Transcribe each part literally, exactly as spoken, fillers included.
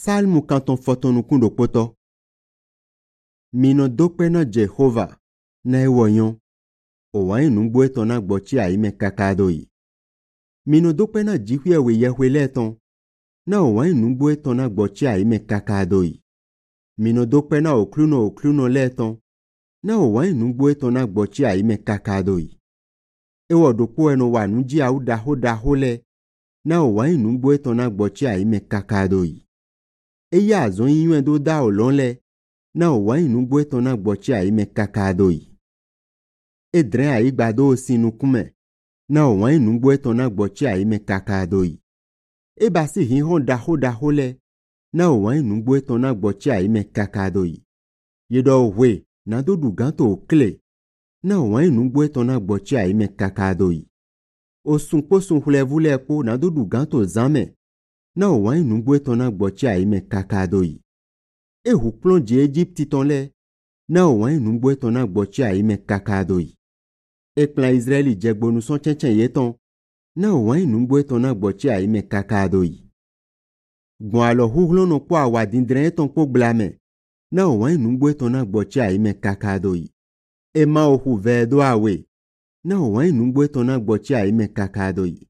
Salmu kanton fotonu kundo poto. Mino dokpe na Jehova na ewoyon. Owa inungbo eton na gbochi aime kakadoi. Mino dokpe na jihwe we yehwe leton. Na owa inungbo eton na gbochi aime kakadoi. Mino dokpe na okluno okluno leton. Na owa inungbo eton na gbochi aime kakadoi. Ewo dokpo eno wa nuji au daho daho le. Na owa inungbo eton na gbochi aime kakadoi. Eya azon yinwen do da olon le. Na owa inungbo eton na gbochi aime kakadoi. Edren a igbado osinu kume. Na owa inungbo eton na gbochi aime kakadoi. Eba si hihon daho daho le. Na owa inungbo eton na gbochi aime kakadoi. Yedo we na do duganto okle. Na owa inungbo eton na gbochi aime kakadoi. Osun posun hulevule po na do duganto zame. Na owa inungbo eton na gbochi aime kakadoi. Ehu plonje Egypti ton le. Na owa inungbo eton na gbochi aime kakadoi. Ekplan Israeli jegbonu son chenchen yeton. Na owa inungbo eton na gbochi aime kakadoi. Gon alo huhlono po awadindren eton po blame. Na owa inungbo eton na gbochi aime kakadoi. Ema ohu vedo awe. Na owa inungbo eton na gbochi aime kakadoi.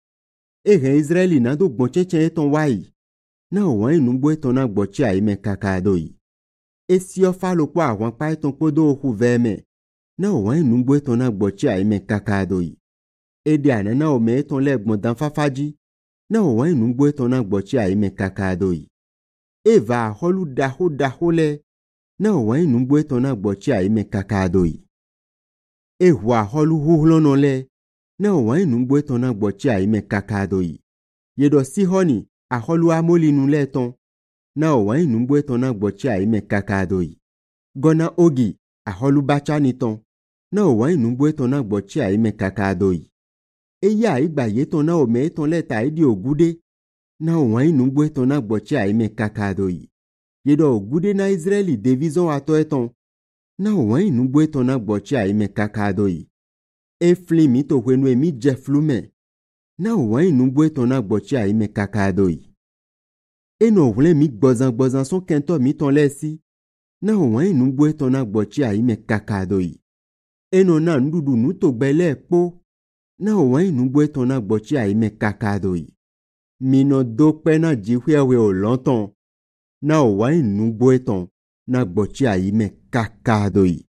Ehen Israeli na do gbon chenchen eton wai. Na owa inungbo eton na gbochi aime kakadoi. Esi ofalo po awan pa eton po do ohu veme. Na owa inungbo eton na gbochi aime kakadoi. Ede anana ome eton le gbon dan fafaji. Na owa inungbo eton na gbochi aime kakadoi. Eva aholu daho daho le. Na owa inungbo eton na gbochi aime kakadoi. Ehu aholu huhlono le. Na owa inungbo eton na gbochi aime kakadoi. Yedo Sihoni aholu amolinu le ton. Na owa inungbo eton na gbochi aime kakadoi. Gona Ogi aholu bachani ton. Na owa inungbo eton na gbochi aime kakadoi. Eya igba yeton na ome eton le ta idi ogude. Na owa inungbo eton na gbochi aime kakadoi. Yedo ogude na Israeli devizon ato eton. Na owa inungbo eton na gbochi aime kakadoi. Eflimi to wenu emi jeflume. Na owa inungbo eton na gbochi aime kakadoi. Eno vle mi gbozan gbozan son kento mi ton lesi. Na owa inungbo eton na gbochi aime kakadoi. Eno na ndudu nuto gbele po. Na owa inungbo eton na gbochi aime kakadoi. Mino dokpe na jihwe we o lonton. Na owa inungbo eton na gbochi aime kakadoi.